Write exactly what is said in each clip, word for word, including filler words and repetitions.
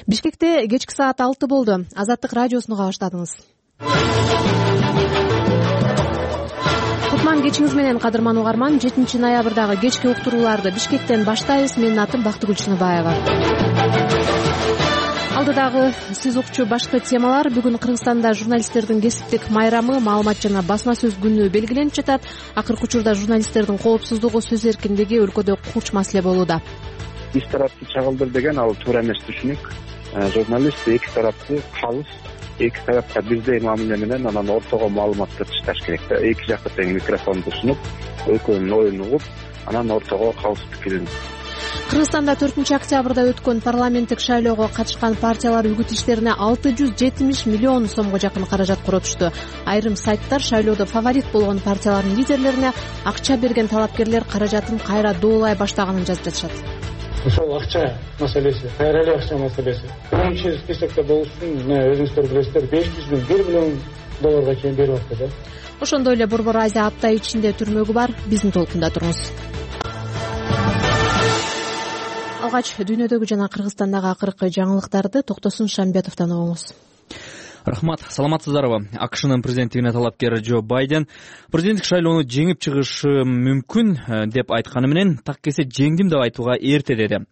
Бишкекте кечки саат алты болду. Азаттык радиосуну уга баштадыңыз. Кутман кечиңиз менен, кадырман угарман. жетинчи ноябрдагы кечки уктурууларды Бишкектен баштайбыз. Менин атым Бактыгүл Чыныбаева. Алдыдагы сиз укчу башкы темалар. Бүгүн Кыргызстанда журналисттердин кесиптик майрамы, маалымат жана басма сөз күнү белгиленип жатат. Акыркы учурда журналисттердин коопсуздугу, сөз эркиндиги өлкөдө курч маселе болууда. Биз тарапты чагылдыр деген ал туура эмес түшүнүк. Журналист эки тарапты калыс, эки тарапка бирдей мамиле менен анан ортого маалыматты ташташ керек да. Эки жакка тең микрофонду сунуп, экөөнүн оюн угуп, анан ортого калыс пикирин. Кыргызстанда төртүнчү октябрда өткөн парламенттик шайлоого катышкан партиялар үгүт иштерине алты жүз жетимиш миллион сомго жакын каражат коротушту. Айрым сайттар шайлоодо фаворит болгон партиялардын лидерлерине акча берген талапкерлер каражатын кайра доолай баштаганын жазып жатышат. Ошол акча маселеси, кайра эле акча маселеси. Биринчи списокто болуш үчүн өзүңүздөр билесиздер, беш жүз миң, бир миллион долларга чейин берип атты да. Ошондой эле Борбор Азия апта ичинде түрмөгү бар. Биздин толкунда туруңуз. Алгач дүйнөдөгү жана Кыргызстандагы акыркы жаңылыктарды Токтосун Шамбетовдон угуңуз. Рахмат, саламатсыздарбы? АКШнын президенттигине талапкер Джо Байден президенттик шайлоону жеңип чыгышы мүмкүн деп айтканы менен так кесе жеңдим деп айтууга эрте деди.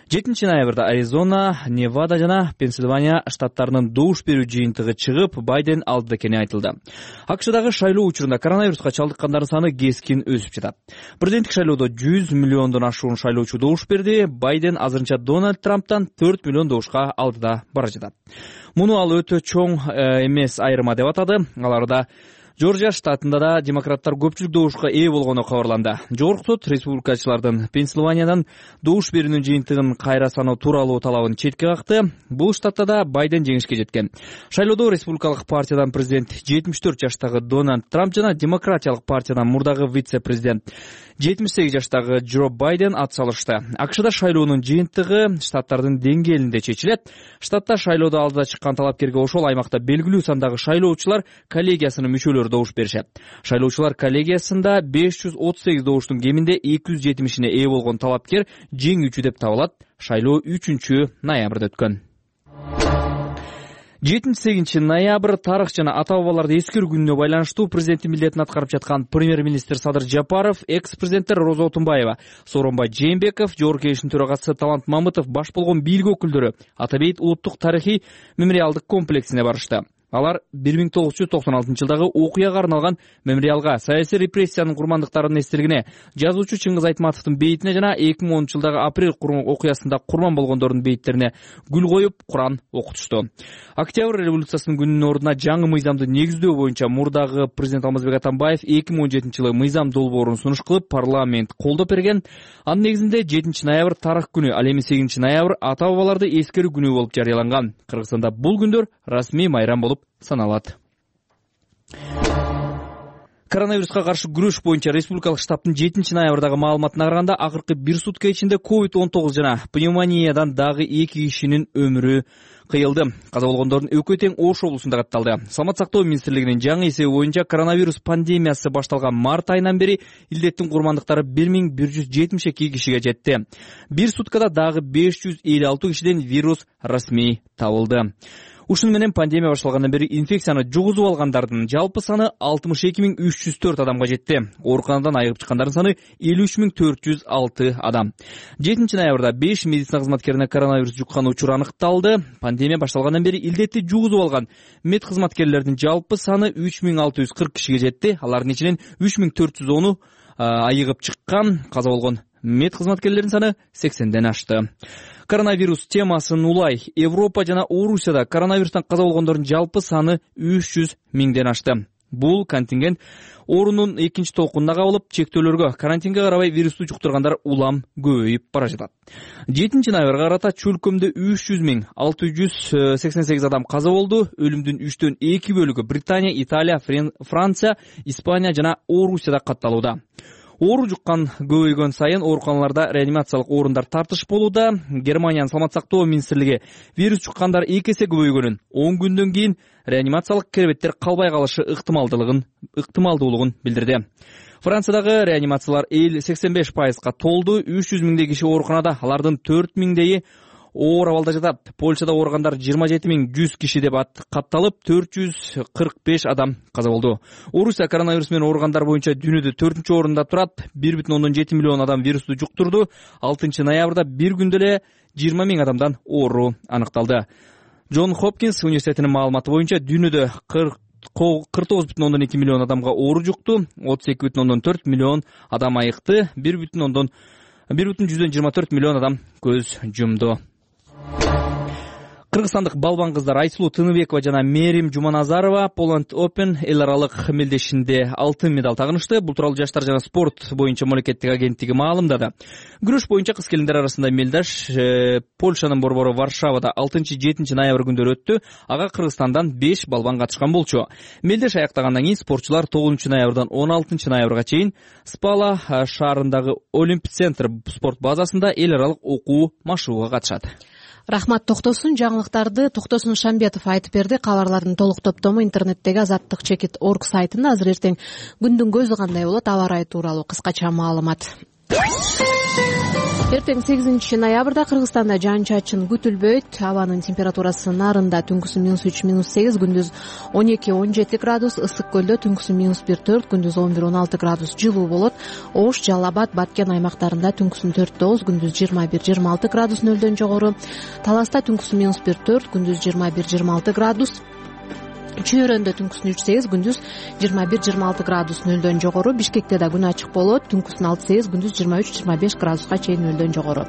жетинчи ноябрда Аризона, Невада жана Пенсильвания штаттарынын добуш берүү жыйынтыгы чыгып, Байден алдыда экени айтылды. АКШдагы шайлоо учурунда коронавируска чалдыккандардын саны кескин өсүп жатат. Президенттик шайлоодо жүз миллиондон ашуун шайлоочу добуш берди. Байден азырынча Дональд Трамптан төрт миллион добушка алдыда бара жатат. Муну ал өтө чоң эмес айырма деп атады. Аларда Жоржия штатында да демократтар көпчүлүк добушка ээ болгону кабарланды. Жогорку сот республикачылардын Пенсильваниядан добуш берүүнүн жыйынтыгын кайра саноо тууралуу талабын четке какты. Бул штатта да Байден жеңишке жеткен. Шайлоодо республикалык партиядан президент жетимиш төрт жаштагы Дональд Трамп жана демократиялык партиядан мурдагы вице-президент жетимиш сегиз жаштагы Джо Байден ат салышты. АКШда шайлоонун жыйынтыгы штаттардын деңгээлинде чечилет. Штатта шайлоодо алдыда чыккан талапкерге ошол аймакта белгилүү сандагы шайлоочулар коллегиясынын мүчөлөрү добуш беришет. Шайлоочулар коллегиясында беш жүз отуз сегиз добуштун кеминде эки жүз жетимишине ээ болгон талапкер жеңүүчү деп табылат. Шайлоо үчүнчү ноябрда өткөн. жетинчи сегизинчи ноябрь тарых жана ата бабаларды эскерүү күнүнө байланыштуу президенттин милдетин аткарып жаткан премьер-министр Садыр Жапаров, экс-президенттер Роза Отунбаева, Сооронбай Жээнбеков, Жогорку Кеңештин төрагасы Талант Мамытов баш болгон бийлик өкүлдөрү Ата бейит улуттук тарыхый мемориалдык комплексине барышты. Алар бир миң тогуз жүз токсон алтынчы жылдагы окуяга арналган мемориалга, саясий репрессиянын курмандыктарынын эстелигине, жазуучу Чыңгыз Айтматовдун бейитине жана эки миң онунчу жылдагы апрель окуясында курман болгондордун бейиттерине гүл коюп, Куран окутушту. Октябрь революциясынын күнүнүн ордуна жаңы мыйзамды негиздөө боюнча мурдагы президент Алмазбек Атамбаев эки миң он жетинчи жылы мыйзам долбоорун сунуш кылып, парламент колдоп берген. Анын негизинде жетинчи ноябрь тарых күнү, ал эми сегизинчи ноябрь ата бабаларды эскерүү күнү болуп жарыяланган. Кыргызстанда бул күндөр расмий майрам болуп саналат. Коронавируска каршы күрөш боюнча республикалык штабтын жетинчи ноябрдагы маалыматына караганда, акыркы бир сутка ичинде ковид он тогуз жана пневмониядан дагы эки кишинин өмүрү кыйылды. Каза болгондордун экөө тең Ош облусунда катталды. Саламат сактоо министрлигинин жаңы эсеби боюнча коронавирус пандемиясы башталган март айынан бери илдеттин курмандыктары бир миң бир жүз жетимиш эки кишиге жетти. Бир суткада дагы беш жүз элүү алты кишиден вирус расмий табылды. Ушуну менен пандемия башталгандан бери инфекцияны жугузуп алгандардын жалпы саны алтымыш эки миң үч жүз төрт адамга жетти. Ооруканадан айыгып чыккандардын саны элүү үч миң төрт жүз алты адам. жетинчи ноябрда беш медицина кызматкерине коронавирус жуккан учур аныкталды. Пандемия башталгандан бери илдетти жугузуп алган мед кызматкерлердин жалпы саны үч миң алты жүз кырк кишиге жетти. Алардын ичинен үч миң төрт жүз оны айыгып чыккан. Каза болгон мед кызматкерлердин саны сексенден ашты. Коронавирус темасын улай. Европа жана Орусияда коронавирустан каза болгондордун жалпы саны үч жүз миңден ашты. Бул контингент оорунун экинчи толкунуна кабылып, чектөөлөргө, карантинге карабай вирусту жуктургандар улам көбөйүп бара жатат. жетинчи ноябрга карата чөлкөмдө үч жүз миң алты жүз сексен сегиз адам каза болду. Өлүмдүн үчтөн эки бөлүгү Британия, Италия, Франция, Испания жана Орусияда катталууда. Оору жуккан көбөйгөн сайын ооруканаларда реанимациялык орундар тартыш болууда. Германиянын саламат сактоо министрлиги вирус жуккандар эки эсе көбөйгөнүн, он күндөн кийин реанимациялык керебеттер калбай калышы ыктымалдуулугун ыктымалдуулугун билдирди. Франциядагы реанимациялар сексен беш пайызга толду. үч жүз миңдей киши ооруканада, алардын төрт миңдейи оор абалда жатат. Польшада ооругандар жыйырма жети миң жүз киши деп катталып, төрт жүз кырк беш адам каза болду. Орусия коронавирус менен ооругандар боюнча дүйнөдө төртүнчү орунда турат. бир бүтүн ондон жети миллион адам вирусту жуктурду. алтынчы ноябрда бир күндө эле жыйырма миң адамдан оору аныкталды. Джон Хопкинс университетинин маалыматы боюнча дүйнөдө кырк тогуз бүтүн ондон эки миллион адамга оору жукту, отуз эки бүтүн ондон төрт миллион адам айыкты, бир бүтүн ондон бир бүтүн жүздөн жыйырма төрт миллион адам көз жумду. Кыргызстандык балбан кыздар Айсулуу Тыныбекова жана Мерим Жуманазарова Poland Open эл аралык мелдешинде алтын медаль тагынышты. Бул тууралуу жаштар жана спорт боюнча мамлекеттик агенттиги маалымдады. Күрөш боюнча кыз келиндер арасында мелдеш э, Польшанын борбору Варшавада алтынчы жетинчи ноябрь күндөрү өттү. Ага Кыргызстандан беш балбан катышкан болчу. Мелдеш аяктагандан кийин спортчулар тогузунчу ноябрдан он алтынчы ноябрга чейин Спала шаарындагы Олимп центр спорт базасында эл аралык окуу машыгууга катышат. Рахмат Токтосун. Жаңылыктарды Токтосун Шамбетов айтып берди. Кабарлардын толук топтому интернеттеги азаттык чекит точка орг сайтында. Азыр эртең күндүн көзү кандай болот, аба ырайы тууралуу кыскача маалымат. Эртең сегизинчи ноябрда Кыргызстанда жаан-чачын күтүлбөйт. Абанын температурасы нарында түнкүсү минус үч минус сегиз, күндүз он эки он жети градус, ысык көлдө түнкүсү минус бир төрт, күндүз он бир он алты градус жылуу болот. Ош, Жалал Абад, Баткен аймактарында түнкүсү төрт тогуз, күндүз жыйырма бир жыйырма алты градус нөлдөн жогору. Таласта түнкүсү минус бир төрт, күндүз жыйырма бир жыйырма алты градус. Чүйөрөндө түнкүсүн үч сегиз, күндүз жыйырма бир жыйырма алты градус нөлдөн жогору. Бишкекте да күн ачык болот. Түнкүсүн алты сегиз, күндүз жыйырма үч жыйырма беш градуска чейин нөлдөн жогору.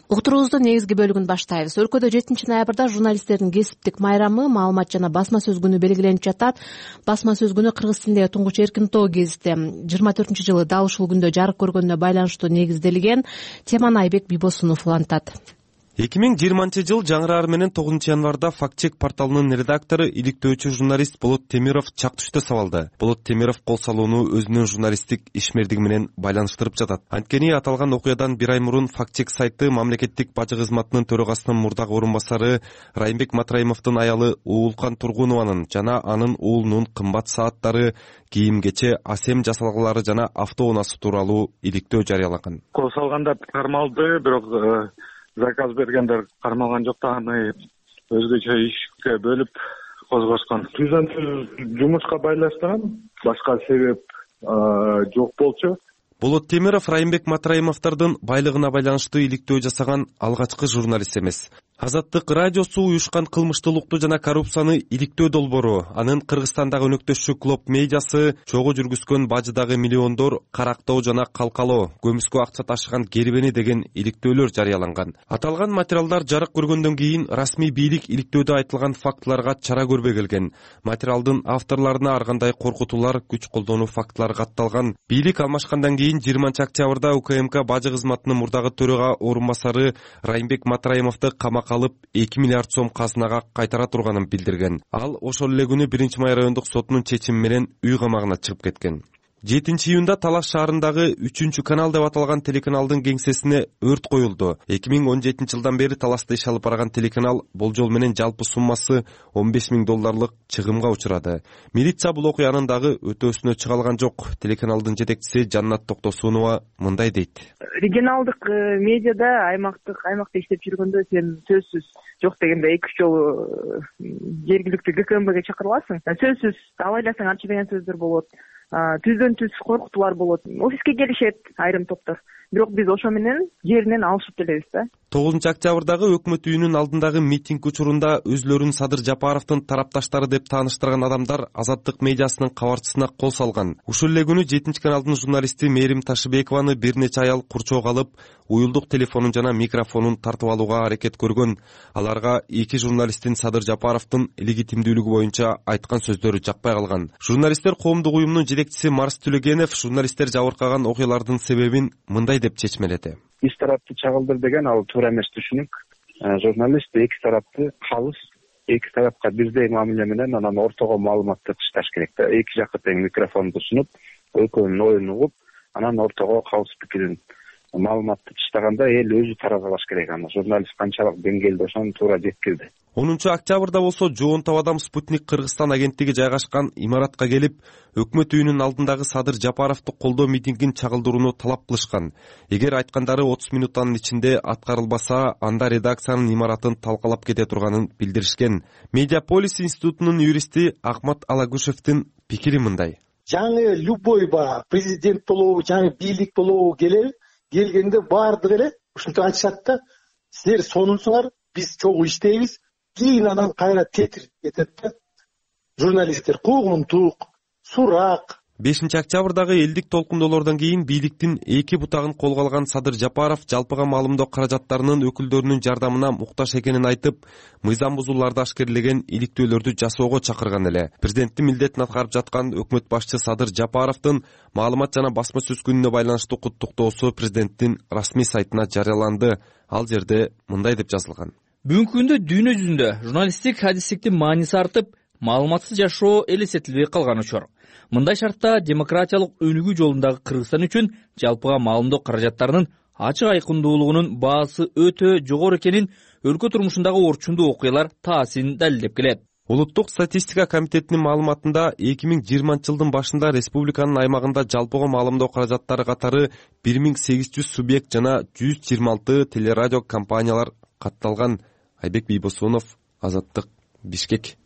Уктуруубуздун негизги бөлүгүн баштайбыз. Өлкөдө жетинчи ноябрда журналисттердин кесиптик майрамы, маалымат жана басма сөз күнү белгиленип жатат. Басма сөз күнү кыргыз тилиндеги туңгуч эркин тоо гезити жыйырма төртүнчү жылы дал ушул күндө жарык көргөнүнө байланыштуу негизделген. Теманы Айбек Бибосунов улантат. эки миң жыйырманчы жыл жаңыраар менен тогузунчу январда Факт чек порталынын редактору, иликтөөчү журналист Болот Темиров чак түштө сабалды. Болот Темиров кол салууну өзүнүн журналисттик ишмердиги менен байланыштырып жатат. Анткени аталган окуядан бир ай мурун Факт чек сайты мамлекеттик бажы кызматынын төрагасынын мурдагы орун басары Райымбек Матраимовдун аялы Уулкан Тургунованын жана анын уулунун кымбат сааттары, кийим-кече, асем жасалгалары жана автоунаасы тууралуу иликтөө жарыялаган. Кол салгандар кармалды, бирок заказ бергендер кармалган жок да, аны өзгөчө ишке бөлүп козгошкон. Түздөн түз жумушка байланыштырган, башка себеп жок болчу. Болот Темиров Райымбек Матраимовдордун байлыгына байланыштуу иликтөө жасаган алгачкы журналист эмес. Азаттык радиосу уюшкан кылмыштуулукту жана коррупцияны иликтөө долбоору, анын Кыргызстандагы өнөктөшү Клоп медиасы чогуу жүргүзгөн бажыдагы миллиондор карактоо жана калкалоо, көмүскө акча ташыган кербени деген иликтөөлөр жарыяланган. Аталган материалдар жарык көргөндөн кийин расмий бийлик иликтөөдө айтылган фактыларга чара көрбөй келген. Материалдын авторлоруна ар кандай коркутуулар, күч колдонуу фактылары катталган. Бийлик алмашкандан кийин жыйырманчы октябрда УКМК бажы кызматынын мурдагы төрага орун басары Райымбек Матраимовду камакка алып эки миллиард сом казынага кайтара турганын билдирген. Ал ошол эле күнү биринчи май райондук сотунун чечими менен үй камагына чыгып кеткен. жетинчи июнда Талаш шаарындагы үчүнчү канал деп аталган телеканалдын кеңсесине өрт коюлду. эки миң он жетинчи жылдан бери Талашта иш алып барган телеканал болжол менен жалпы суммасы он беш миң долларлык чыгымга учурады. Милиция бул окуянын дагы өтөөсүнө чыга алган жок. Телеканалдын жетекчиси Жаннат Токтосунова мындай дейт. Регионалдык медиада аймактык аймакта иштеп жүргөндө сен сөзсүз жок дегенде эки үч жолу жергиликтүү ГКМБге чакырыласың. Сөзсүз абайласаң анча деген сөздөр болот. Түздөн түз коркутуулар болот. Офиске келишет айрым топтор. Бирок биз ошо менен жеринен алышып келебиз да. тогузунчу октябрдагы өкмөт үйүнүн алдындагы митинг учурунда өзлөрүн Садыр Жапаровдун тарапташтары деп тааныштырган адамдар Азаттык медиасынын кабарчысына кол салган. Ушул эле күнү жетинчи каналдын журналисти Мерим Ташыбекованы бир нече аял курчоого алып, уюлдук телефонун жана микрофонун тартып алууга аракет көргөн. Аларга эки журналисттин Садыр Жапаровдун легитимдүүлүгү боюнча айткан сөздөрү жакпай калган. Журналисттер коомдук уюмунун жетекчиси Марс Түлөгенов журналисттер жабыркаган окуялардын себебин мындай деп чечмеледи. Бир тарапты чагылдыр деген ал туура эмес түшүнүк. Журналист эки тарапты калыс, эки тарапка бирдей мамиле менен анан ортого маалыматты ташташ керек да. Эки жакка тең микрофонду сунуп, экөөнүн оюн угуп, анан ортого калыс пикирин маалыматты чыштаганда эл өзү таразалаш керек, аны журналист канчалык деңгээлде ошону туура жеткирди. онунчу октябрда болсо жооntop адам Спутник Кыргызстан агенттиги жайгашкан имаратка келип, өкмөт үйүнүнүн алдындагы Садыр Жапаровду колдоо митингин чагылдырууну талап кылышкан. Эгер айткандары отуз минуттан ичинде аткарылбаса, анда редакциянын имаратын талкалап кете турганын билдиришкен. Медиаполис институтунун юристи Акмат Алагушевдин пикири мындай. Жаңы любой баягы президент болобу, жаңы бийлик болобу келеби, келгенде баардыгы эле ушинтип айтышат да, силер сонунсуңар, биз чогуу иштейбиз. Кийин анан кайра тетирип кетет да. Журналисттер куугунтук, сурак. бешинчи октябрдагы элдик толкундоолордон кийин бийликтин эки бутагын колго алган Садыр Жапаров жалпыга маалымдоо каражаттарынын өкүлдөрүнүн жардамына муктаж экенин айтып, мыйзам бузууларды ашкерлеген иликтөөлөрдү жасоого чакырган эле. Президенттин милдетин аткарып жаткан өкмөт башчы Садыр Жапаровдун маалымат жана басма сөз күнүнө байланыштуу куттуктоосу президенттин расмий сайтына жарыяланды. Ал жерде мындай деп жазылган. Бүгүнкү күндө дүйнө жүзүндө журналисттик адистиктин мааниси артып, маалыматсыз жашоо элестетилбей калган учур. Мындай шартта демократиялык өнүгүү жолундагы Кыргызстан үчүн жалпыга маалымдоо каражаттарынын ачык айкындуулугунун баасы өтө жогору экенин өлкө турмушундагы орчундуу окуялар таасин далилдеп келет. Улуттук статистика комитетинин маалыматында эки миң жыйырманчы жылдын башында республиканын аймагында жалпыга маалымдоо каражаттары катары бир миң сегиз жүз субъект жана жүз жыйырма алты телерадио компаниялар катталган. Айбек Бийбосунов, Азаттык, Бишкек.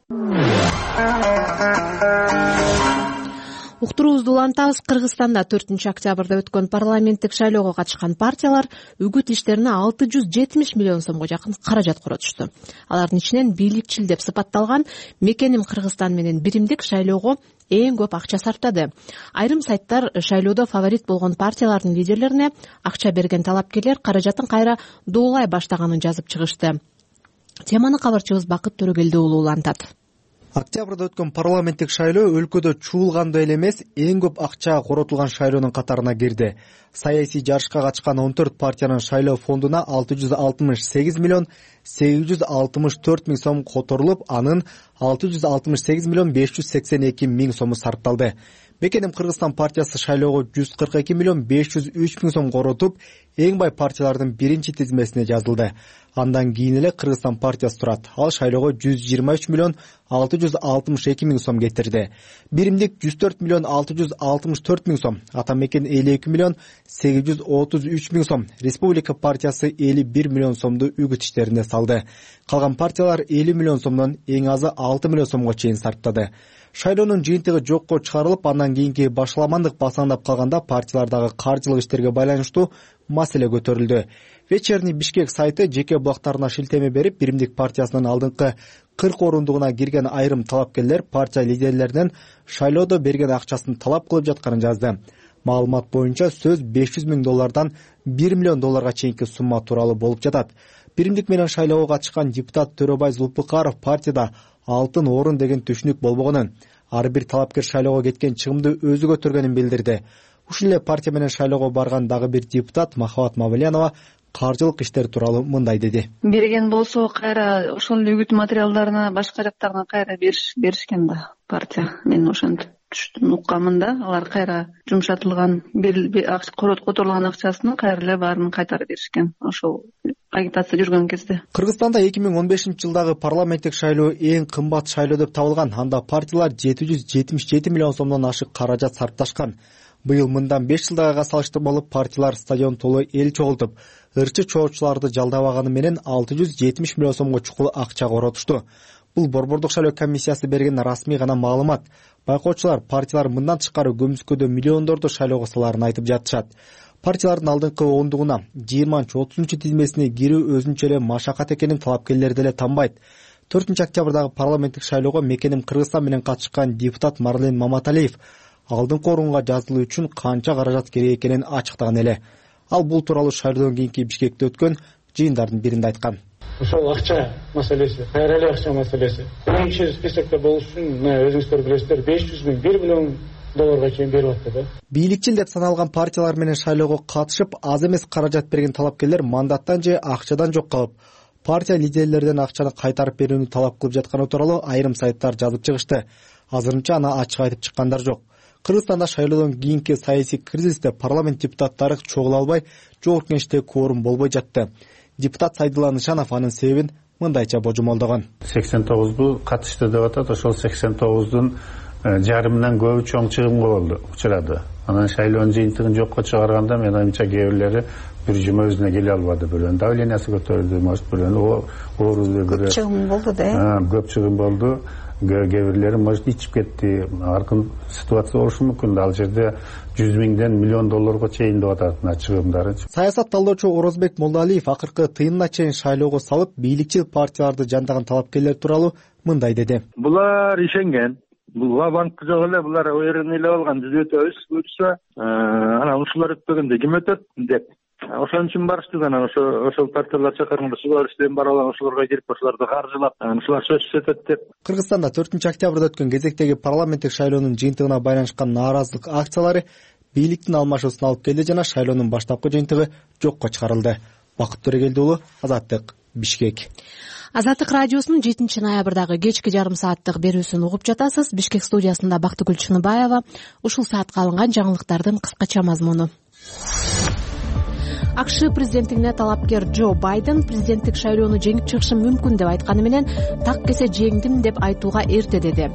Уктуруубузду улантабыз. Кыргызстанда төртүнчү октябрда өткөн парламенттик шайлоого катышкан партиялар үгүт иштерине алты жүз жетимиш миллион сомго жакын каражат коротушту. Алардын ичинен бийликчил деп сыпатталган Мекеним Кыргызстан менен Биримдик шайлоого эң көп акча сарптады. Айрым сайттар шайлоодо фаворит болгон партиялардын лидерлерине акча берген талапкерлер каражатын кайра доолай баштаганын жазып чыгышты. Теманы кабарчыбыз Бакыт Төрөгелди уулу улантат. Октябрда өткөн парламенттик шайлоо өлкөдө чуулгандай эле эмес, эң көп акча коротулган шайлоонун катарына кирди. Саясий жарышка катышкан он төрт партиянын шайлоо фондуна алты жүз алтымыш сегиз миллион сегиз жүз алтымыш төрт миң сом которулуп, анын алты жүз алтымыш сегиз миллион беш жүз сексен эки миң сому сарпталды. Мекеним Кыргызстан партиясы шайлоого жүз кырк эки миллион беш жүз үч миң сом коротуп, эң бай партиялардын биринчи тизмесине жазылды. Андан кийин эле Кыргызстан партиясы турат. Ал шайлоого жүз жыйырма үч миллион алты жүз алтымыш эки миң сом кетирди. Биримдик жүз төрт миллион алты жүз алтымыш төрт миң сом, Ата Мекен элүү эки миллион сегиз жүз отуз үч миң сом, Республика партиясы элүү бир миллион сомду үгүт иштерине салды. Калган партиялар элүү миллион сомдон эң азы алты миллион сомго чейин сарптады. Шайлоонун жыйынтыгы жокко чыгарылып, андан кийинки башаламандык басаңдап калганда партиялардагы каржылык иштерге байланыштуу маселе көтөрүлдү. Вечерний Бишкек сайты жеке блогтарына шилтеме берип, Биримдик партиясынын алдыңкы кырк орундугуна кирген айрым талапкерлер партия лидерлеринен шайлоодо берген акчасын талап кылып жатканын жазды. Маалымат боюнча сөз беш жүз миң доллардан бир миллион долларга чейинки сумма тууралуу болуп жатат. Биримдик менен шайлоого катышкан депутат Төрөбай Зулпукаров партияда алтын орун деген түшүнүк болбогонун, ар бир талапкер шайлоого кеткен чыгымды өзү көтөргөнүн билдирди. Ушул эле партия менен шайлоого барган дагы бир депутат Махабат Мавлянова каржылык иштер тууралуу мындай деди. Берген болсо кайра ошол үгүт материалдарына башка жактарына кайра беришкен да партия. Мен ошентип түштүм, уккамын да. Алар кайра жумшатылган которулган акчасын кайра эле баарын кайтарып беришкен. Ошол агитация жүргөн кезде. Кыргызстанда эки миң он бешинчи жылдагы парламенттик шайлоо эң кымбат шайлоо деп табылган. Анда партиялар жети жүз жетимиш жети миллион сомдон ашык каражат сарпташкан. Быйыл мындан беш жылдагыга салыштырмалуу партиялар стадион толо эл чогултуп, ырчы чоочуларды жалдабаганы менен алты жүз жетимиш миллион сомго чукул акча коротушту. Бул Борбордук шайлоо комиссиясы берген расмий гана маалымат. Байкоочулар партиялар мындан тышкары көмүскөдө миллиондорду шайлоого саларын айтып жатышат. Партиялардын алдыңкы ондугуна жыйырманчы отузунчу тизмесине кирүү өзүнчө эле машакат экенин талапкерлер деле танбайт. төртүнчү октябрдагы парламенттик шайлоого Мекеним Кыргызстан менен катышкан депутат Марлен Маматалиев алдыңкы орунга жазылуу үчүн канча каражат керек экенин ачыктаган эле. Ал бул тууралуу шайлоодон кийинки Бишкекте өткөн жыйындардын биринде айткан. Ошол акча маселеси, кайра эле акча маселеси. Биринчи списокто болуш үчүн өзүңүздөр билесиздер, беш жүз миң бир миллион долларга чейин берип атты да. Бийликчил деп саналган партиялар менен шайлоого катышып, аз эмес каражат берген талапкерлер мандаттан же акчадан жок калып, партия лидерлерден акчаны кайтарып берүүнү талап кылып жатканы тууралуу айрым сайттар жазып чыгышты. Азырынча аны ачык айтып чыккандар жок. Кыргызстанда шайлоодон кийинки саясий кризисте парламент депутаттары чогула албай, жогорку кеңеште кворум болбой жатты. Депутат Сайдулла Нышанов анын себебин мындайча божомолдогон. сексен тогузду катышты деп атат. Ошол сексен тогуздун жарымынан көбү чоң чыгымга болду, учурады. Анан шайлоонун жыйынтыгын жокко чыгарганда мен оюмча кээ бирлери бир жума өзүнө келе албады. Бирөөнүн давлениясы көтөрүлдү, может бирөөнүн оорусу көп чыгым болду да. Көп чыгым болду. Кээ бирлери может ичип кетти. Аркын ситуация болушу мүмкүн. Ал жерде жүз миңден миллион долларга чейин деп атат мына чыгымдары. Саясат талдоочу Орозбек Молдалиев акыркы тыйынына чейин шайлоого салып, бийликчил партияларды жандаган талапкерлер тууралуу мындай деди. Булар ишенген. Бул банк жок эле, булар уеренный эле болгон, биз өтөбүз буюрса, анан ушулар өтпөгөндө ким өтөт деп. Ошон үчүн барышты, анан ошо ошол партиялар чакырганда ушулар иштен баралар, ошолорго кирип, ошолорду каржылап, анан ушулар сөзсүз өтөт деп. Кыргызстанда төртүнчү октябрда өткөн кезектеги парламенттик шайлоонун жыйынтыгына байланышкан нааразылык акциялары бийликтин алмашуусуна алып келди жана шайлоонун баштапкы жыйынтыгы жокко чыгарылды. Бакыт Төрөгелди уулу, Азаттык, Бишкек. Азаттык радиосунун жетинчи ноябрдагы кечки жарым сааттык берүүсүн угуп жатасыз. Бишкек студиясында Бактыгүл Чыныбаева. Ушул саатка алынган жаңылыктардын кыскача мазмуну. АКШ президенттигине талапкер Джо Байден президенттик шайлоону жеңип чыгышым мүмкүн деп айтканы менен так кесе жеңдим деп айтууга эрте деди.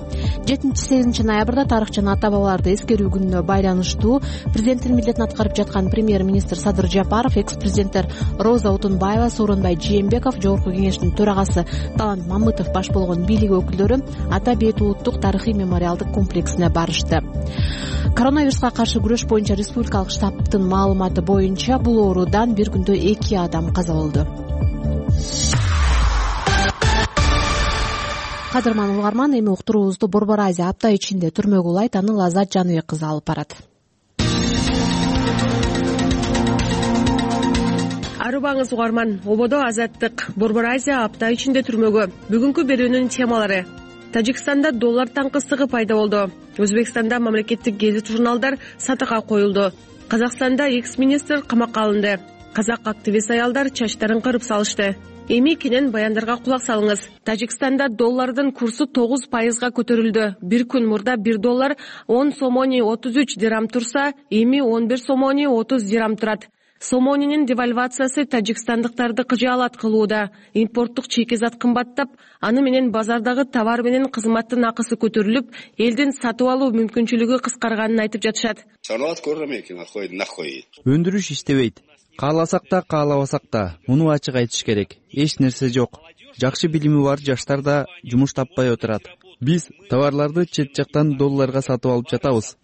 жетинчи сегизинчи ноябрда тарыхчы ата бабаларды эскерүү күнүнө байланыштуу президенттин милдетин аткарып жаткан премьер-министр Садыр Жапаров, экс-президенттер Роза Отунбаева, Сооронбай Жээнбеков, жогорку кеңештин төрагасы Талант Мамытов баш болгон бийлик өкүлдөрү Ата Бейит улуттук тарыхый мемориалдык комплексине барышты. Коронавируска каршы күрөш боюнча республикалык штабтын маалыматы боюнча бул оорудан бир күндө эки адам каза болду. Кадырман угарман, эми уктуруубузду Борбор Азия апта ичинде түрмөгө улайт, аны Лазат Жаныбек кызы алып барат. Арыбаңыз угарман, ободо Азаттык Борбор Азия апта ичинде түрмөгө. Бүгүнкү берүүнүн темалары: Тажикстанда доллар таңкысыздыгы пайда болду. Өзбекстанда мамлекеттик гезит журналдар сатыкка коюлду. Казакстанда экс-министр камакка алынды. Казак активист аялдар чачтарын кырып салышты. Эми кенен баяндарга кулак салыңыз. Тажикстанда доллардын курсу тогуз пайызга көтөрүлдү. Бир күн мурда бир доллар он сомони отуз үч дирам турса, эми он бир сомони отуз дирам турат. Сомонинин девальвациясы тажикстандыктарды кыжаалат кылууда. Импорттук чейки зат кымбаттап, аны менен базардагы товар менен кызматтын акысы көтөрүлүп, элдин сатып алуу мүмкүнчүлүгү кыскарганын айтып жатышат. Өндүрүш иштебейт. Кааласак да, каалабасак да, муну ачык айтыш керек. Эч нерсе жок. Жакшы билими бар жаштар да жумуш таппай отурат. Биз товарларды чет жактан долларга сатып алып жатабыз.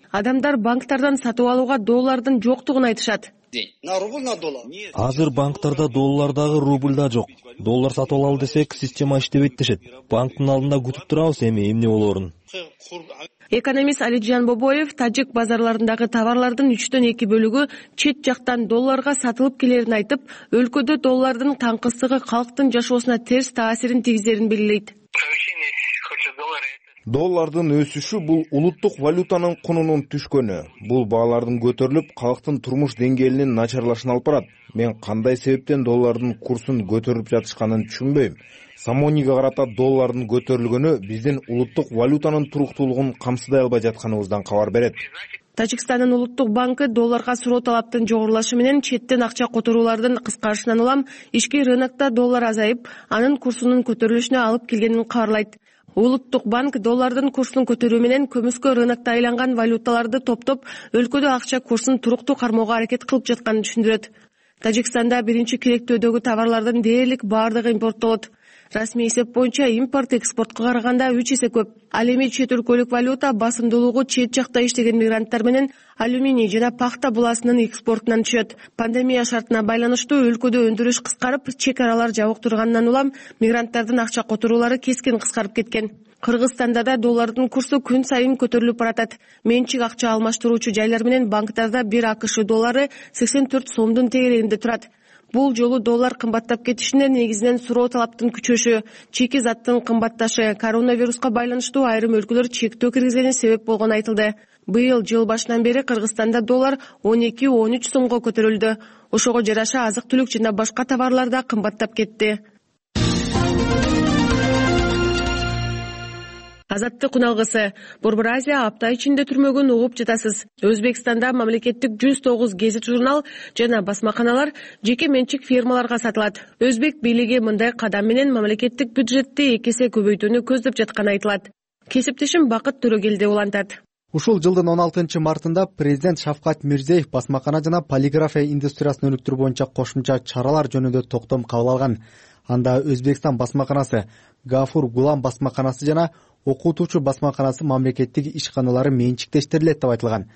Адамдар банктардан сатып алууга доллардын жоктугун айтышат. Азыр банктарда доллар дагы, рубль да жок. Доллар сатып алалы десек, система иштебейт дешет. Банктын алдында күтүп турабыз эми эмне болоорун. Экономист Алиджан Бобоев тажик базарларындагы товарлардын үчтөн эки бөлүгү чет жактан долларга сатылып келерин айтып, өлкөдө доллардын таңкысыздыгы калктын жашоосуна терс таасирин тийгизерин белгилейт. Доллардын өсүшү бул улуттук валютанын кунунун түшкөнү. Бул баалардын көтөрүлүп, калктын турмуш деңгээлинин начарлашына алып барат. Мен кандай себептен доллардын курсун көтөрүп жатышканын түшүнбөйм. Самониге карата доллардын көтөрүлгөнү биздин улуттук валютанын туруктуулугун камсыдай албай жатканыбыздан кабар берет. Тажикстандын улуттук банкы долларга суроо талаптын жогорулашы менен четтен акча которуулардын кыскарышынан улам ички рынокто доллар азайып, анын курсунун көтөрүлүшүнө алып келгенин кабарлайт. Улуттук банк доллардын курсун көтөрүү менен көмүскө рынокто айланган валюталарды топтоп, өлкөдө акча курсун туруктуу кармоого аракет кылып жатканын түшүндүрөт. Тажикстанда биринчи керектөөдөгү товарлардын дээрлик баардыгы импорттолот. Расмий эсеп боюнча импорт экспортко караганда үч эсе көп. Ал эми чет өлкөлүк валюта басымдуулугу чет жакта иштеген мигранттар менен алюминий жана пахта буласынын экспортунан түшөт. Пандемия шартына байланыштуу өлкөдө өндүрүш кыскарып, чек аралар жабык турганынан улам мигранттардын акча которуулары кескин кыскарып кеткен. Кыргызстанда да доллардын курсу күн сайын көтөрүлүп баратат. Менчик акча алмаштыруучу жайлар менен банктарда бир АКШ доллары сексен төрт сомдун тегерегинде турат. Бул жолу доллар кымбаттап кетишине негизинен суроо талаптын күчөшү, чейки заттын кымбатташы, коронавируска байланыштуу айрым өлкөлөр чектөө киргизгени себеп болгону айтылды. Быйыл жыл башынан бери Кыргызстанда доллар он эки — он үч сомго көтөрүлдү. Ошого жараша азык-түлүк жана башка товарлар да кымбаттап кетти. Азаттык уналгысы. Борбор Азия апта ичинде түрмөгөн угуп жатасыз. Өзбекстанда мамлекеттик жүз тогуз гезит журнал жана басмаканалар жеке менчик фирмаларга сатылат. Өзбек бийлиги мындай кадам менен мамлекеттик бюджетти эки эсе көбөйтүүнү көздөп жатканы айтылат. Кесиптешим Бакыт Төрөгелди улантат. Ушул жылдын он алтынчы мартында президент Шавкат Мирзиеев басмакана жана полиграфия индустриясын өнүктүрүү боюнча кошумча чаралар жөнүндө токтом кабыл алган. Анда Өзбекстан басмаканасы, Гафур Гулам басмаканасы жана окутуучу басмаканасы мамлекеттик ишканалары менчиктештирилет деп айтылган.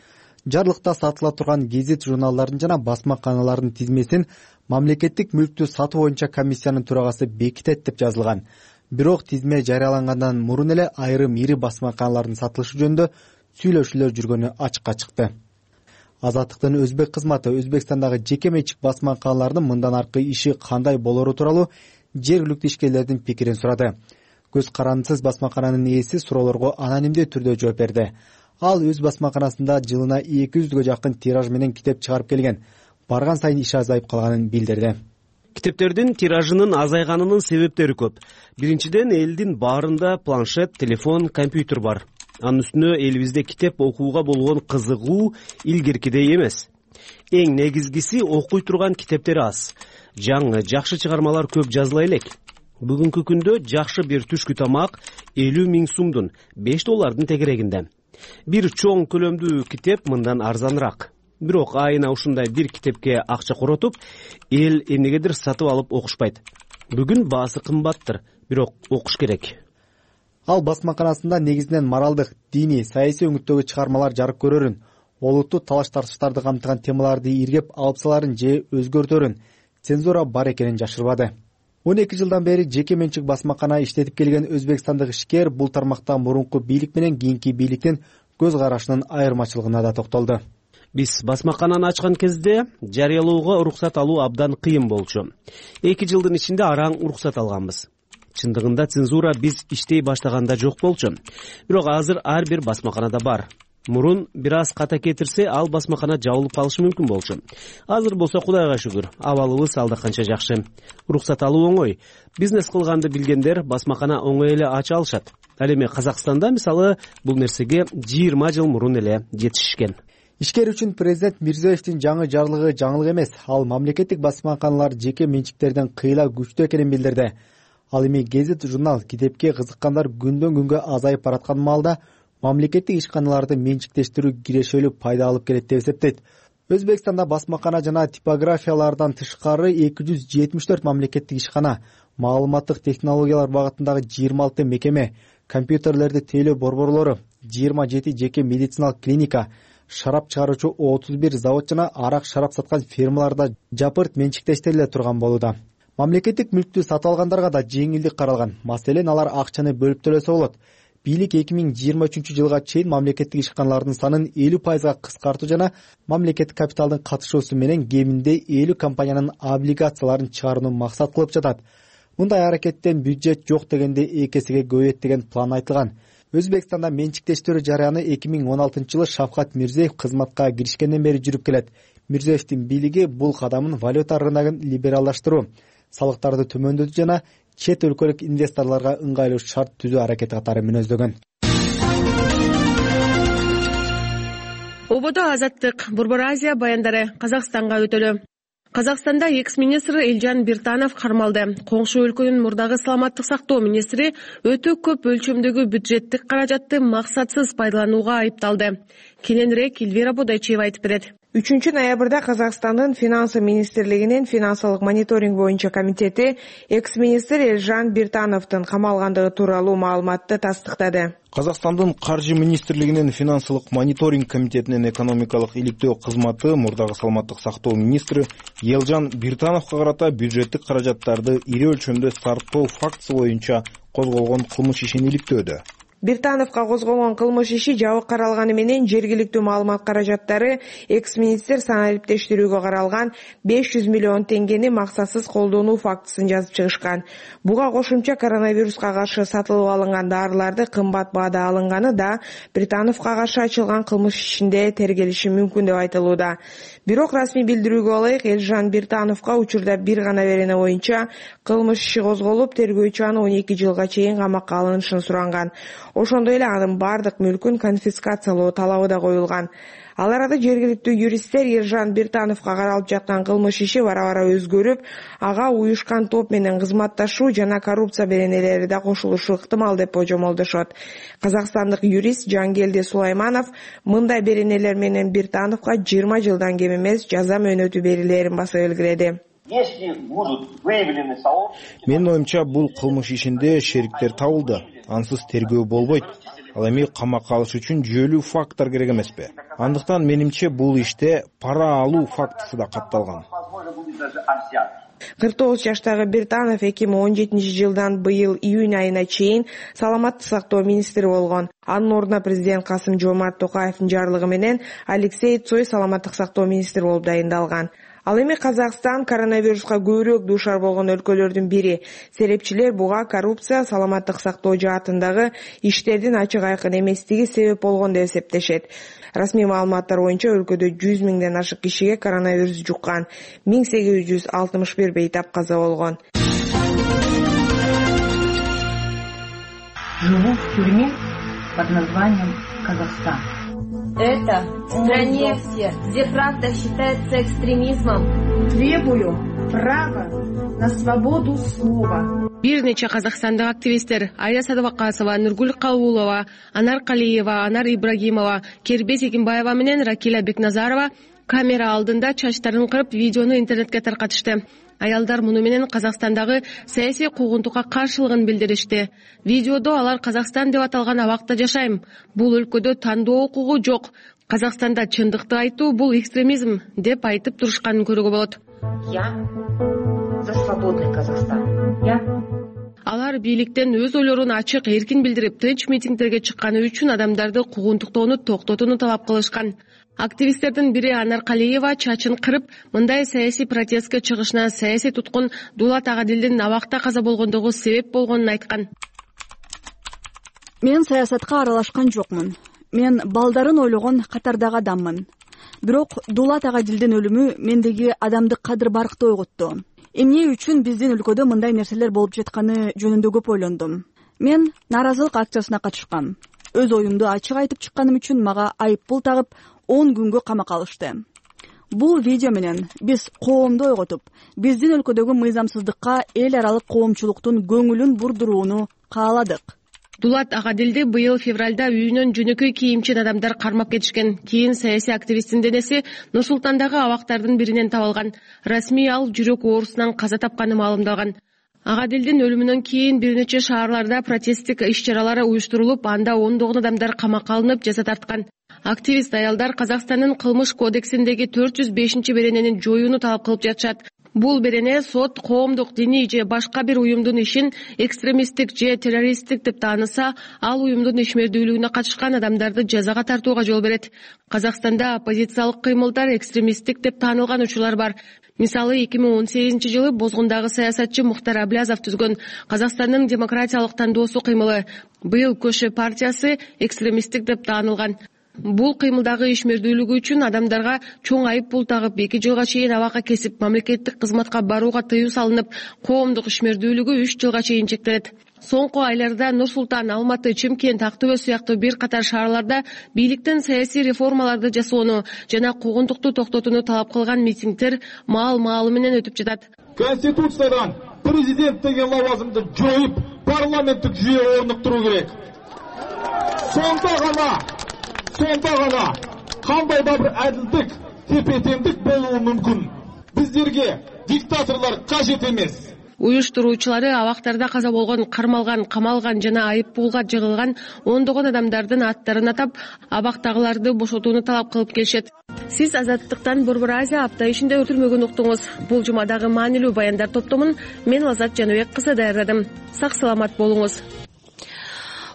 Жарлыкта сатыла турган гезит журналдардын жана басмаканалардын тизмесин мамлекеттик мүлктү сатуу боюнча комиссиянын төрагасы бекитет деп жазылган. Бирок тизме жарыялангандан мурун эле айрым ири басмаканалардын сатылышы жөнүндө сүйлөшүүлөр жүргөнү ачыкка чыкты. Азаттыктын өзбек кызматы Өзбекстандагы жеке менчик басмаканалардын мындан аркы иши кандай болору тууралуу жергиликтүү ишкерлердин пикирин сурады. Көз карандысыз басмакананын ээси суроолорго анонимдүү түрдө жооп берди. Ал өз басмаканасында жылына эки жүзгө жакын тираж менен китеп чыгарып келген. Барган сайын иши азайып калганын билдирди. Китептердин тиражынын азайганынын себептери көп. Биринчиден, элдин баарында планшет, телефон, компьютер бар. Анын үстүнө элибизде китеп окууга болгон кызыгуу илгеркидей эмес. Эң негизгиси, окуй турган китептер аз. Жаңы, жакшы чыгармалар көп жазыла элек. Бүгүнкү күндө жакшы бир түшкү тамак элүү миң сумдун, беш доллардын тегерегинде. Бир чоң көлөмдүү китеп мындан арзаныраак. Бирок айына ушундай бир китепке акча коротуп, эл эмнегедир сатып алып окушпайт. Бүгүн баасы кымбаттыр, бирок окуш керек. Ал басмаканасында негизинен моралдык, диний, саясий өңүттөгү чыгармалар жарык көрөрүн, олуттуу талаш-тартыштарды камтыган темаларды иргеп алып саларын же өзгөртөрүн, цензура бар экенин жашырбады. он эки жылдан бери жеке менчик басмакана иштетип келген өзбекстандык ишкер бул тармакта мурунку бийлик менен кийинки бийликтин көз карашынын айырмачылыгына да токтолду. Биз басмакананы ачкан кезде жарыялоого уруксат алуу абдан кыйын болчу. эки жылдын ичинде араң уруксат алганбыз. Чындыгында цензура биз иштей баштаганда жок болчу. Бирок азыр ар бир басмаканада бар. Мурун бир аз ката кетирсе, ал басмакана жабылып калышы мүмкүн болчу. Азыр болсо Кудайга шүгүр, абалыбыз алда канча жакшы. Уруксат алуу оңой. Бизнес кылганды билгендер басмакана оңой эле ача алышат. Ал эми Казакстанда мисалы бул нерсеге жыйырма жыл мурун эле жетишишкен. Ишкер үчүн президент Мирзиевдин жаңы жарлыгы жаңылык эмес. Ал мамлекеттик басмаканалар жеке менчиктерден кыйла күчтүү экенин билдирди. Ал эми гезит журнал китепке кызыккандар күндөн күнгө азайып бараткан маалда мамлекеттик ишканаларды менчиктештирүү кирешелүү пайда алып келет деп эсептейт. Өзбекстанда басмакана жана типографиялардан тышкары эки жүз жетимиш төрт мамлекеттик ишкана, маалыматтык технологиялар багытындагы жыйырма алты мекеме, компьютерлерди тейлөө борборлору, жыйырма жети жеке медициналык клиника, шарап чыгаруучу отуз бир завод жана арак шарап саткан фирмаларда жапырт менчиктештириле турган болууда. Мамлекеттик мүлктү сатып алгандарга да жеңилдик каралган. Маселен, алар акчаны бөлүп төлөсө болот. Бийлик эки миң жыйырма үчүнчү жылга чейин мамлекеттик ишканалардын санын элүү пайызга кыскартуу жана мамлекеттик капиталдын катышуусу менен кеминде элүү компаниянын облигацияларын чыгарууну максат кылып жатат. Мындай аракеттен бюджет жок дегенде эки эсеге көбөйөт деген план айтылган. Өзбекстанда менчиктештирүү жараяны эки миң он алтынчы жылы Шавкат Мирзиеев кызматка киришкенден бери жүрүп келет. Мирзиевдин бийлиги бул кадамын валюта рыногун либералдаштыруу, салыктарды төмөндөтүү жана чет өлкөлүк инвесторлорго ыңгайлуу шарт түзүү аракети катары мүнөздөгөн. Ободо азаттык, Борбор Азия баяндары Казакстанга өтөлү. Казакстанда экс-министр Элжан Биртанов кармалды. Коңшу өлкөнүн мурдагы саламаттык сактоо министри өтө көп өлчөмдөгү бюджеттик каражатты максатсыз пайдаланууга айыпталды. Кененирээк Эльвира Бодойчиева айтып берет. үчүнчү ноябрда Казакстандын финансы министрлигинин финансылык мониторинг боюнча комитети экс-министр Элжан Биртановдун камалгандыгы тууралуу маалыматты тастыктады. Казакстандын каржы министрлигинин финансылык мониторинг комитетинин экономикалык иликтөө кызматы мурдагы саламаттык сактоо министри Элжан Биртановго карата бюджеттик каражаттарды ири өлчөмдө сарптоо фактысы боюнча козголгон кылмыш ишин иликтөөдө. Биртановго козголгон кылмыш иши жабык каралганы менен жергиликтүү маалымат каражаттары экс-министр саналиптештирүүгө каралган беш жүз миллион теңгени максатсыз колдонуу фактысын жазып чыгышкан. Буга кошумча коронавируска каршы сатылып алынган дарыларды кымбат баада алынганы да Биртановго каршы ачылган кылмыш ишинде тергелиши мүмкүн деп айтылууда. Бирок расмий билдирүүгө ылайык Элжан Биртановго учурда бир гана берене боюнча кылмыш иши козголуп, тергөөчү аны он эки жылга чейин камакка алынышын суранган. ошондой эле анын баардык мүлкүн конфискациялоо талабы да коюлган. Ал арада жергиликтүү юристтер Ержан Биртановго каралып жаткан кылмыш иши бара-бара өзгөрүп, ага уюшкан топ менен кызматташуу жана коррупция беренелери да кошулушу ыктымал деп божомолдошот. Казакстандык юрист Жангелди Сулайманов мындай беренелер менен Биртановго жыйырма жылдан кем эмес жаза мөөнөтү берилерин баса белгиледи. Менин оюмча, бул кылмыш ишинде шериктер табылды. Ансыз тергөө болбойт. Ал эми камакка алыш үчүн жүйөлүү факттар керек эмеспи? Андыктан менимче бул иште пара алуу фактысы да катталган. кырк тогуз жаштагы Биртанов эки миң он жетинчи жылдан быйыл июнь айына чейин саламаттык сактоо министри болгон. Анын ордуна президент Касым Жомарт Токаевдин жарлыгы менен Алексей Цой саламаттык сактоо министри болуп дайындалган. Ал эми Казакстан коронавируска көбүрөөк дуушар болгон өлкөлөрдүн бири. Серепчилер буга коррупция, саламаттык сактоо жаатындагы иштердин ачык айкын эместиги себеп болгон деп эсептешет. Расмий маалыматтар боюнча өлкөдө жүз миңден ашык кишиге коронавирус жуккан, миң сегиз жүз алтымыш бир бейтап каза болгон. Живу в тюрьме под названием Казахстан. Это в стране, где правда считается экстремизмом. Требую права на свободу слова. Бир нече казакстандык активисттер Айя Садыбакасова, Нургүл Калуулова, Анар Калиева, Анар Ибрагимова, Кербес Экимбаева менен Ракиля Бекназарова камера алдында чачтарын кырып видеону интернетке таркатышты. Аялдар муну менен Казакстандагы саясий куугунтукка каршылыгын билдиришти. Видеодо алар Казакстан деп аталган абакта жашайм. Бул өлкөдө тандоо укугу жок. Казакстанда чындыкты айтуу бул экстремизм деп айтып турушканын көрүүгө болот. Я за свободный Казахстан. Я Алар бийликтен өз ойлорун ачык, эркин билдирип, тынч митингдерге чыкканы үчүн адамдарды куугунтуктоону токтотууну талап кылышкан. Активисттердин бири Анар Калиева чачын кырып, мындай саясий протестке чыгышына саясий туткун Дулат Агадилдин абакта каза болгондугу себеп болгонун айткан. Мен саясатка аралашкан жокмун. Мен балдарын ойлогон катардагы адаммын. Бирок Дулат Агадилдин өлүмү мендеги адамдык кадыр-баркты ойготту. Эмне үчүн биздин өлкөдө мындай нерселер болуп жатканы жөнүндө көп ойлондум. Мен нааразылык акциясына катышкам. Өз оюмду ачык айтып чыкканым үчүн мага айыппул тагып он күнгө камакка алышты. Бул видео менен биз коомду ойготуп, биздин өлкөдөгү мыйзамсыздыкка эл аралык коомчулуктун көңүлүн бурдурууну кааладык. Дулат Агадилди быйыл февралда үйүнөн жөнөкөй кийимчен адамдар кармап кетишкен. Кийин саясий активисттин денеси Нур-Султандагы абактардын биринен табылган. Расмий ал жүрөк оорусунан каза тапканы маалымдалган. Агадилдин өлүмүнөн кийин бир нече шаарларда протесттик иш-чаралар уюштурулуп, анда ондогон адамдар камакка алынып, жаза тарткан. Активист аялдар Казакстандын кылмыш кодексиндеги төрт жүз бешинчи беренени жоюуну талап кылып жатышат. Бул берене сот коомдук, диний же башка бир уюмдун ишин экстремисттик же террористтик деп тааныса, ал уюмдун ишмердүүлүгүнө катышкан адамдарды жазага тартууга жол берет. Казакстанда оппозициялык кыймылдар экстремисттик деп таанылган учурлар бар. Мисалы, эки миң он сегизинчи жылы Бозгундагы саясатчы Мухтар Аблязов түзгөн Казакстандын демократиялык тандоосу кыймылы, быйыл Көшө партиясы экстремисттик деп таанылган. Бул кыймылдагы ишмердүүлүгү үчүн адамдарга чоң айып пул тагып, эки жылга чейин абакка кесип, мамлекеттик кызматка барууга тыюу салынып, коомдук ишмердүүлүгү үч жылга чейин чектелет. Соңку айларда Нур-Султан, Алматы, Чымкент, Ак Төбө сыяктуу бир катар шаарларда бийликтен саясий реформаларды жасоону жана куугунтукту токтотууну талап кылган митингдер маал-маалы менен өтүп жатат. Конституциядан президент деген лавазымды жоюп, парламенттик жүйө орнуктуруу керек. Сонда гана Сонда гана кандай да бир адилдик, тепе-теңдик болуу мүмкүн. Биздерге диктаторлор кажет эмес. Уюштуруучулары абактарда каза болгон, кармалган, камалган жана айыппулга жыгылган ондогон адамдардын аттарын атап, абактагыларды бошотууну талап кылып келишет. Сиз Азаттыктан Борбор Азия апта ишинде өтүлмөгөн уктуңуз. Бул жумадагы маанилүү баяндар топтомун мен Лазат Жаныбек кызы даярдадым. Сак саламат болуңуз.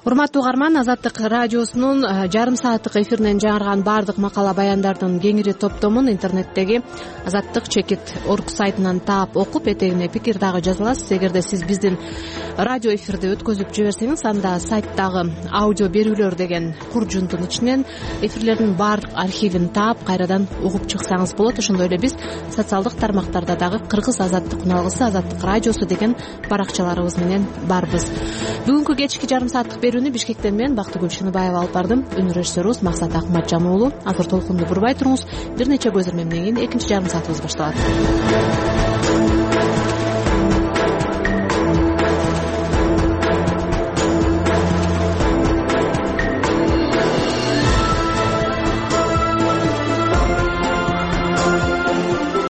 Урматтуу угарман, Азаттык радиосунун жарым сааттык эфиринен жаңырган баардык макала баяндардын кеңири топтомун интернеттеги азаттык чекит орг сайтынан таап окуп, этегине пикир дагы жаза аласыз. Эгерде сиз биздин радио эфирди өткөзүп жиберсеңиз, анда сайттагы аудио берүүлөр деген куржунтун ичинен эфирлердин баардык архивин таап, кайрадан угуп чыксаңыз болот. Ошондой эле биз социалдык тармактарда дагы Кыргыз азаттык үналгысы, Азаттык радиосу деген баракчаларыбыз менен барбыз. Бүгүнкү кечки жарым сааттык берүүнү Бишкектен мен Бактыгүл Шыныбаева алып бардым. Үн режиссерубуз Максат Акматжан уулу. Азыр толкунду бурбай туруңуз. Бир нече көзөрмөмдөн кийин экинчи жарым саатыбыз башталат.